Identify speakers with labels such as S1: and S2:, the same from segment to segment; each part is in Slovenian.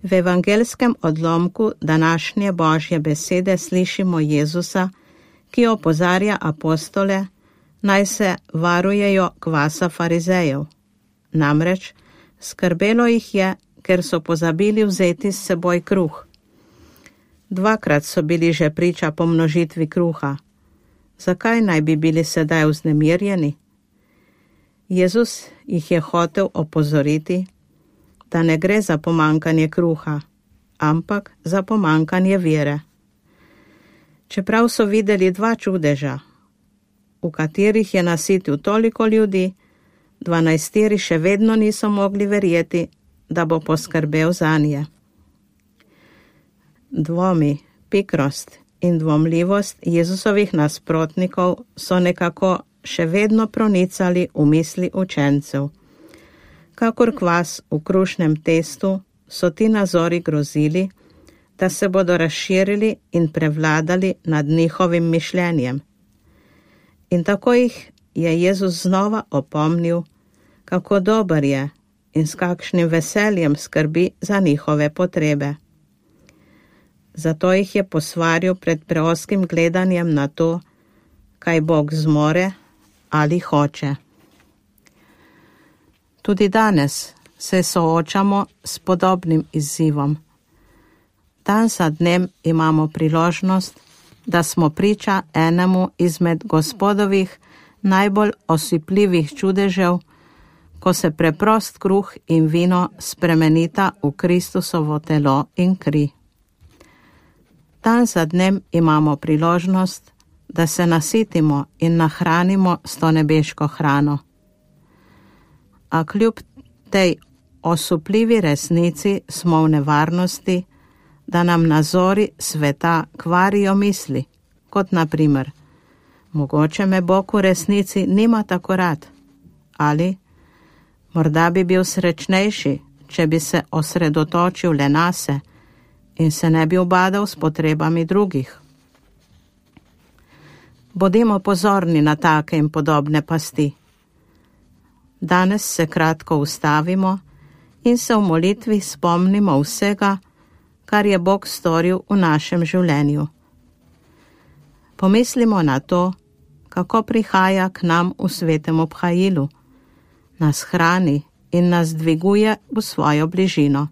S1: V evangelskem odlomku današnje Božje besede slišimo Jezusa, ki opozarja apostole, naj se varujejo kvasa farizejev. Namreč skrbelo jih je, ker so pozabili vzeti s seboj kruh. Dvakrat so bili že priča pomnožitvi kruha. Zakaj naj bi bili sedaj vznemirjeni? Jezus jih je hotel opozoriti, da ne gre za pomankanje kruha, ampak za pomankanje vere. Čeprav so videli 2 čudeža, v katerih je nasitil toliko ljudi, 12 še vedno niso mogli verjeti, da bo poskrbel zanje. Dvomi, pikrost in dvomljivost Jezusovih nasprotnikov so nekako še vedno pronicali v misli učencev. Kakor kvas v krušnem testu so ti nazori grozili, da se bodo razširili in prevladali nad njihovim mišljenjem. In tako jih je Jezus znova opomnil, kako dober je in s kakšnim veseljem skrbi za njihove potrebe. Zato jih je posvaril pred preoskim gledanjem na to, kaj Bog zmore ali hoče. Tudi danes se soočamo s podobnim izzivom. Dan za dnem imamo priložnost, da smo priča enemu izmed Gospodovih najbolj osipljivih čudežev, ko se preprost kruh in vino spremenita v Kristusovo telo in kri. Dan za dnem imamo priložnost, da se nasitimo in nahranimo s to nebeško hrano. A kljub tej osupljivi resnici smo v nevarnosti, da nam nazori sveta kvarijo misli, kot na primer, mogoče me Bog v resnici nima tako rad, ali morda bi bil srečnejši, če bi se osredotočil le nase in se ne bi ubadal s potrebami drugih. Bodimo pozorni na take in podobne pasti. Danes se kratko ustavimo in se v molitvi spomnimo vsega, kar je Bog storil v našem življenju. Pomislimo na to, kako prihaja k nam v svetem obhajilu, nas hrani in nas dviguje v svojo bližino.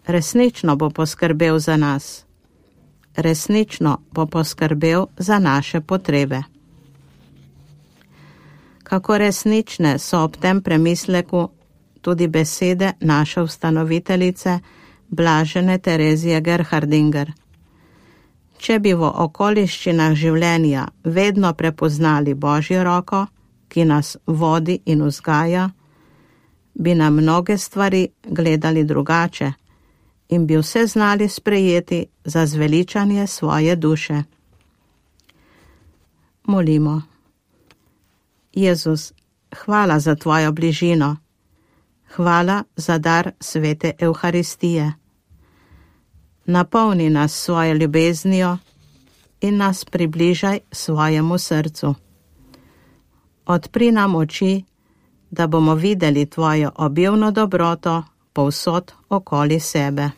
S1: Resnično bo poskrbel za nas. Resnično bo poskrbel za naše potrebe. Kako resnične so ob tem premisleku tudi besede naše ustanoviteljice Blažene Terezije Gerhardinger. Če bi v okoliščinah življenja vedno prepoznali Božjo roko, ki nas vodi in vzgaja, bi na mnoge stvari gledali drugače in bi vse znali sprejeti za zveličanje svoje duše. Molimo. Jezus, hvala za tvojo bližino. Hvala za dar svete Evharistije. Napolni nas svojo ljubeznijo in nas približaj svojemu srcu. Odpri nam oči, da bomo videli tvojo obilno dobroto povsod okoli sebe.